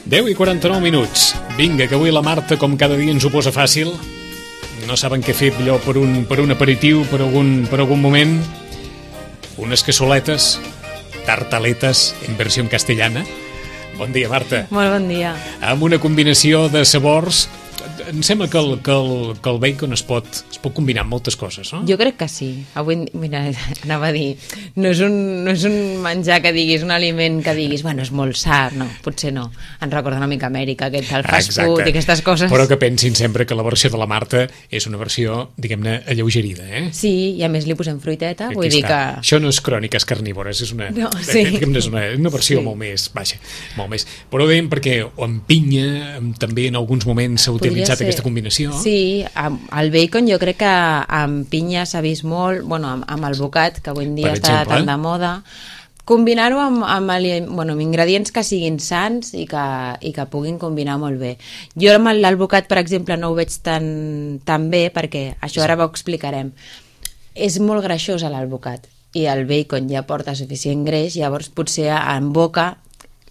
10:49. Vinga, que avui la Marta, com cada dia, ens ho posa fàcil. No saben què fer allò per un aperitiu, per algun moment. Unes cassoletes, tartaletes, en versió en castellana. Bon dia, Marta. Molt bon dia. Amb una combinació de sabors. Em sembla que el bacon es pot combinar amb moltes coses, no? Jo crec que sí. Avui, mira, anava a dir, no és un menjar que diguis, un aliment que diguis, bueno, és molt sa, no, potser no. Ens recorda una mica Amèrica, aquest el fast food i aquestes coses. Però que pensin sempre que la versió de la Marta és una versió, diguem-ne, alleugerida, eh? Sí, i a més li posem fruiteta, vull dir que... Això no és cròniques carnívores, és una, no, sí. és una versió molt més baixa, molt més. Però ho dèiem perquè amb pinya, també en alguns moments s'ha utilitzat aquesta combinació. Sí, el bacon jo crec que amb pinya s'ha vist molt, bueno, amb el bocat, que avui en dia està tan de moda. Combinar-ho amb ingredients que siguin sans i que puguin combinar molt bé. Jo amb l'alvocat, per exemple, no ho veig tan bé, perquè això ara ho explicarem. És molt greixós l'alvocat i el bacon ja porta suficient greix, llavors potser en boca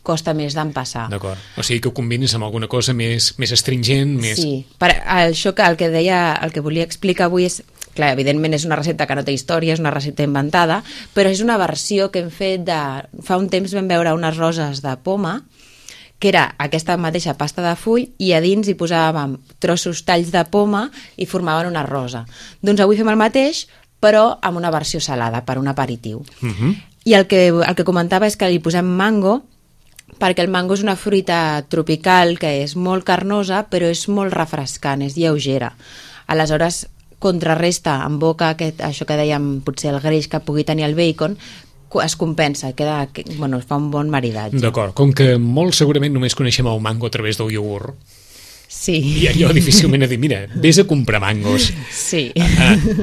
costa més d'empassar. D'acord. O sigui que ho combines amb alguna cosa més astringent, més... Sí. Això que el que volia explicar avui és, clar, evidentment és una recepta que no té història, és una recepta inventada, però és una versió que hem fet de... Fa un temps vam veure unes roses de poma, que era aquesta mateixa pasta de full, i a dins hi posàvem trossos, talls de poma, i formaven una rosa. Doncs avui fem el mateix, però amb una versió salada, per un aperitiu. I el que comentava és que li posem mango, perquè el mango és una fruita tropical que és molt carnosa, però és molt refrescant, és lleugera. Aleshores, contrarresta en boca això que dèiem, potser el greix que pugui tenir el bacon, es compensa, es fa un bon maridatge. D'acord, com que molt segurament només coneixem el mango a través del iogurt, sí. I allò difícilment a dir, mira, vés a comprar mangos. Sí.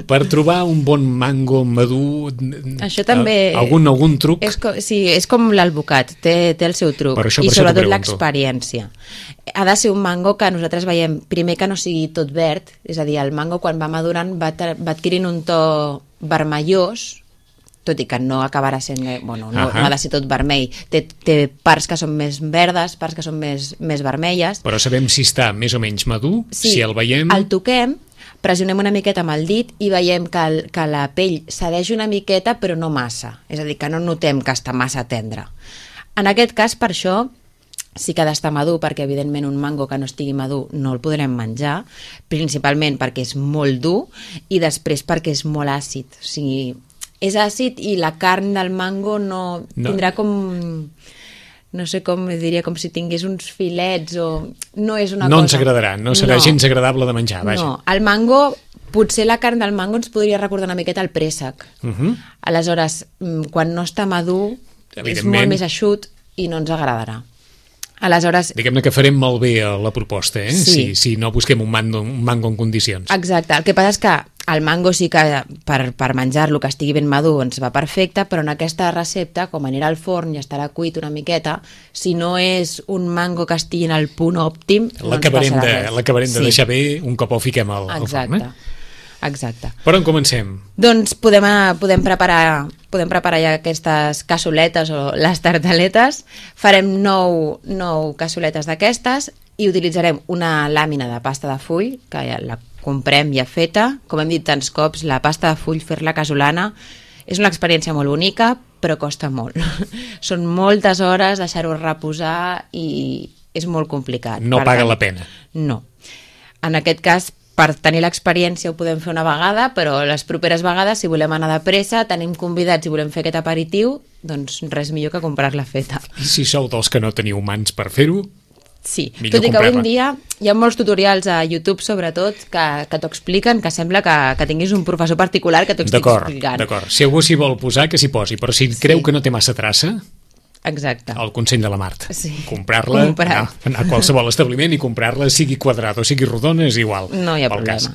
Per trobar un bon mango madur, això també... Algun truc? És com l'alvocat, té el seu truc. I sobretot l'experiència. Ha de ser un mango que nosaltres veiem, primer que no sigui tot verd, és a dir, el mango quan va madurant va adquirint un to vermellós, tot i que no acabarà sent... Bueno, no ha de ser tot vermell. Té parts que són més verdes, parts que són més vermelles. Però sabem si està més o menys madur, sí, si el veiem... El toquem, pressionem una miqueta amb el dit i veiem que la pell cedeix una miqueta, però no massa. És a dir, que no notem que està massa tendre. En aquest cas, per això, sí que ha d'estar madur, perquè evidentment un mango que no estigui madur no el podrem menjar, principalment perquè és molt dur i després perquè és molt àcid. O sigui, és àcid i la carn del mango no tindrà com... No sé com diria, com si tingués uns filets o... No és una cosa... No ens agradarà, no serà gens agradable de menjar, vaja. No, el mango... Potser la carn del mango ens podria recordar una miqueta el préssec. Aleshores, quan no està madur, és molt més eixut i no ens agradarà. Aleshores... Diguem-ne que farem malbé la proposta, eh? Sí. Si no busquem un mango en condicions. Exacte. El que passa és que el mango sí que per menjar-lo que estigui ben madur ens va perfecte, però en aquesta recepta, com anirà al forn i estarà cuit una miqueta, si no és un mango que estigui en el punt òptim, no ens passarà res. L'acabarem de deixar bé un cop el fiquem al forn. Exacte. Per on comencem? Doncs podem preparar ja aquestes cassoletes o les tartaletes. Farem 9 cassoletes d'aquestes i utilitzarem una làmina de pasta de full, que ja la comprem ja feta. Com hem dit tants cops, la pasta de full, fer-la casolana, és una experiència molt bonica, però costa molt. Són moltes hores, deixar-ho reposar i és molt complicat. No paga la pena. No. En aquest cas, per tenir l'experiència ho podem fer una vegada, però les properes vegades, si volem anar de pressa, tenim convidats i volem fer aquest aperitiu, doncs res millor que comprar-la feta. I si sou dels que no teniu mans per fer-ho, sí, tot i que avui en dia hi ha molts tutorials a YouTube, sobretot, que t'ho expliquen, que sembla que tinguis un professor particular que t'ho estic explicant. D'acord, si algú s'hi vol posar, que s'hi posi, però si creu que no té massa traça... Exacte. El consell de la Marta. Sí. Comprar-la, anar a qualsevol establiment i comprar-la, sigui quadrada o sigui rodona, és igual. No hi ha problema.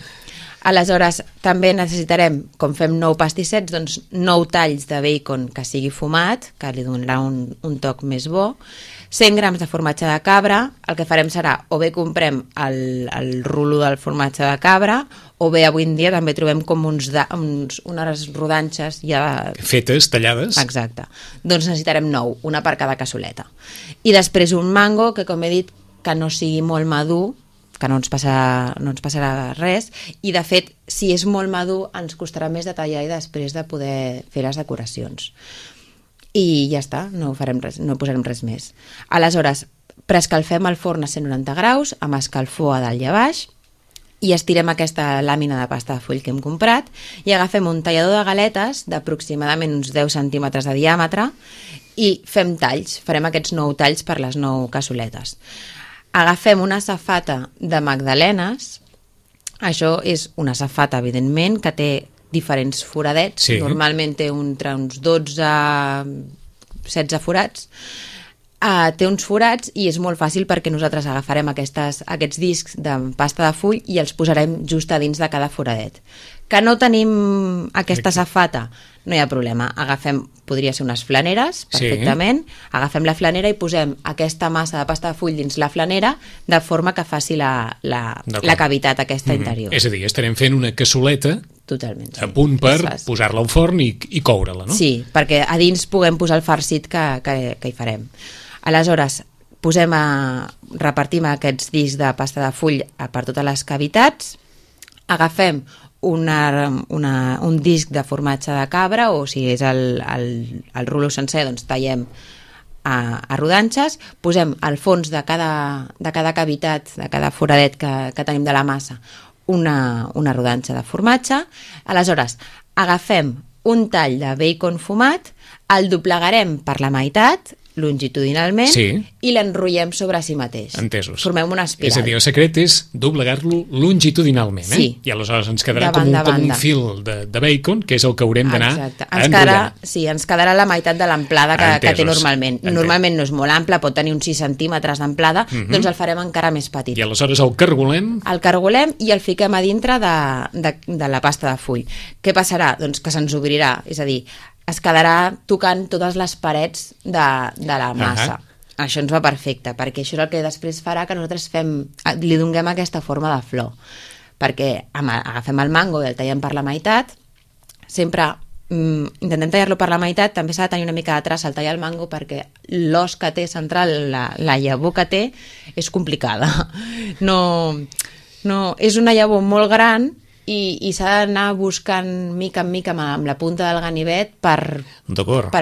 Aleshores, també necessitarem, com fem 9 pastissets, doncs 9 talls de bacon que sigui fumat, que li donarà un toc més bo, 100 grams de formatge de cabra. El que farem serà, o bé comprem el rulo del formatge de cabra, o bé avui en dia també trobem com unes rodanxes ja... fetes, tallades. Exacte. Doncs necessitarem 9, una per cada cassoleta. I després un mango, que com he dit, que no sigui molt madur, que no ens passarà res, i de fet, si és molt madur, ens costarà més de tallar i després de poder fer les decoracions. I ja està, no farem res, no posarem res més. Aleshores, preescalfem el forn a 190 graus, amb escalfor a dalt i a baix, i estirem aquesta làmina de pasta de full que hem comprat, i agafem un tallador de galetes d'aproximadament uns 10 centímetres de diàmetre, i fem talls, farem aquests 9 talls per les 9 cassoletes. Agafem una safata de magdalenes, això és una safata, evidentment, que té diferents foradets, sí. Normalment té entre uns 12 a 16 forats, té uns forats i és molt fàcil perquè nosaltres agafarem aquests discs de pasta de full i els posarem just a dins de cada foradet. Que no tenim aquesta safata, no hi ha problema. Podria ser unes flaneres, perfectament. Sí. Agafem la flanera i posem aquesta massa de pasta de full dins la flanera de forma que faci la cavitat aquesta interior. És a dir, estarem fent una cassoleta totalment, sí. A punt per posar-la al forn i coure-la, no? Sí, perquè a dins puguem posar el farcit que hi farem. Aleshores, repartim aquests discs de pasta de full per totes les cavitats, agafem un disc de formatge de cabra, o si és el rulo sencer, doncs tallem a rodanxes, posem al fons de cada cavitat, de cada foradet que tenim de la massa, una rodanxa de formatge. Aleshores, agafem un tall de bacon fumat, el doblegarem per la meitat, longitudinalment, sí. I l'enrotllem sobre si mateix. Entesos. Formem una espiral. És a dir, el secret és doblegar-lo longitudinalment, sí. I aleshores ens quedarà com un fil de bacon, que és el que haurem d'anar enrotllant. Sí, ens quedarà la meitat de l'amplada que té normalment. Normalment no és molt ample, pot tenir uns 6 centímetres d'amplada, doncs el farem encara més petit. I aleshores el cargolem? El cargolem i el fiquem a dintre de la pasta de full. Què passarà? Doncs que se'ns obrirà, és a dir, es quedarà tocant totes les parets de la massa. Això ens va perfecte, perquè això és el que després farà que nosaltres li donem aquesta forma de flor. Perquè agafem el mango i el tallem per la meitat, sempre intentem tallar-lo per la meitat, també s'ha de tenir una mica de traça al tallar el mango perquè l'os que té central, la llavor que té, és complicada. No, és una llavor molt gran i s'ha d'anar buscant mica en mica amb la punta del ganivet per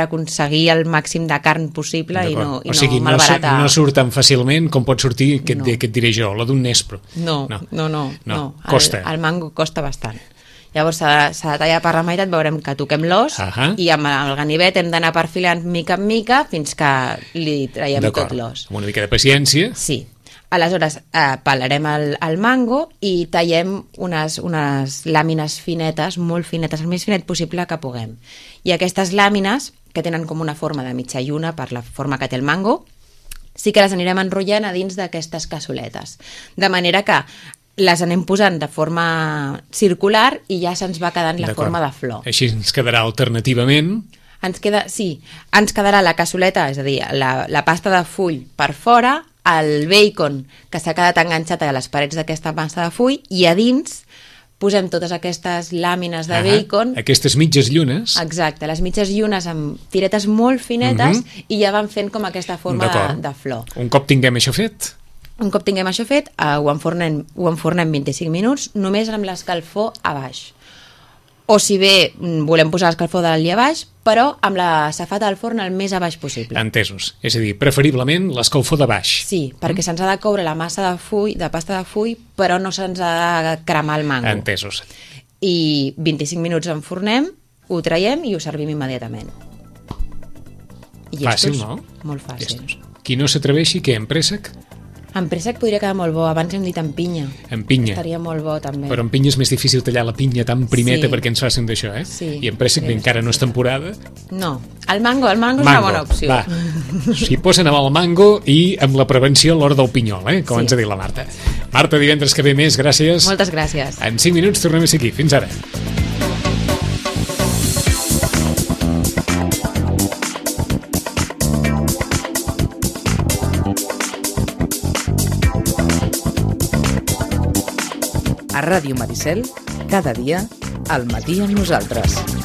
aconseguir el màxim de carn possible i no malbaratar. No surt tan fàcilment com pot sortir, què et diré jo, la d'un nespro. No. Costa. El mango costa bastant. Llavors s'ha de tallar per la meitat, veurem que toquem l'os i amb el ganivet hem d'anar perfilant mica en mica fins que li traiem tot l'os. Amb una mica de paciència. Sí. Aleshores, pelarem el mango i tallem unes làmines finetes, molt finetes, el més finet possible que puguem. I aquestes làmines, que tenen com una forma de mitja lluna per la forma que té el mango, sí que les anirem enrotllant a dins d'aquestes cassoletes. De manera que les anem posant de forma circular i ja se'ns va quedant la forma de flor. Així ens quedarà alternativament... Ens quedarà la cassoleta, és a dir, la pasta de full per fora, el bacon que s'ha quedat enganxat a les parets d'aquesta massa de full i a dins posem totes aquestes làmines de bacon. Aquestes mitges llunes. Exacte, les mitges llunes amb tiretes molt finetes i ja van fent com aquesta forma de flor. Un cop tinguem això fet, ho enfornem 25 minuts només amb l'escalfor a baix. O si bé volem posar l'escalfor dalt i a baix, però amb la safata del forn el més a baix possible. Entesos. És a dir, preferiblement l'escalfor de baix. Sí, perquè se'ns ha de coure la massa de pasta de full, però no se'ns ha de cremar el mango. Entesos. I 25 minuts enfornem, ho traiem i ho servim immediatament. Fàcil, no? Molt fàcil. Qui no s'atreveixi, què, en préssec? En préssec podria quedar molt bo, abans hem dit en pinya. En pinya. Estaria molt bo, també. Però en pinya és més difícil tallar la pinya tan primeta perquè ens facin d'això, eh? Sí. I en préssec encara no és temporada. No, el mango és una bona opció. Va, s'hi posen amb el mango i amb la prevenció a l'hora del pinyol, com ens ha dit la Marta. Marta, divendres que ve més, gràcies. Moltes gràcies. En 5 minuts tornem a ser aquí. Fins ara. A Ràdio Maricel, cada dia, al matí amb nosaltres.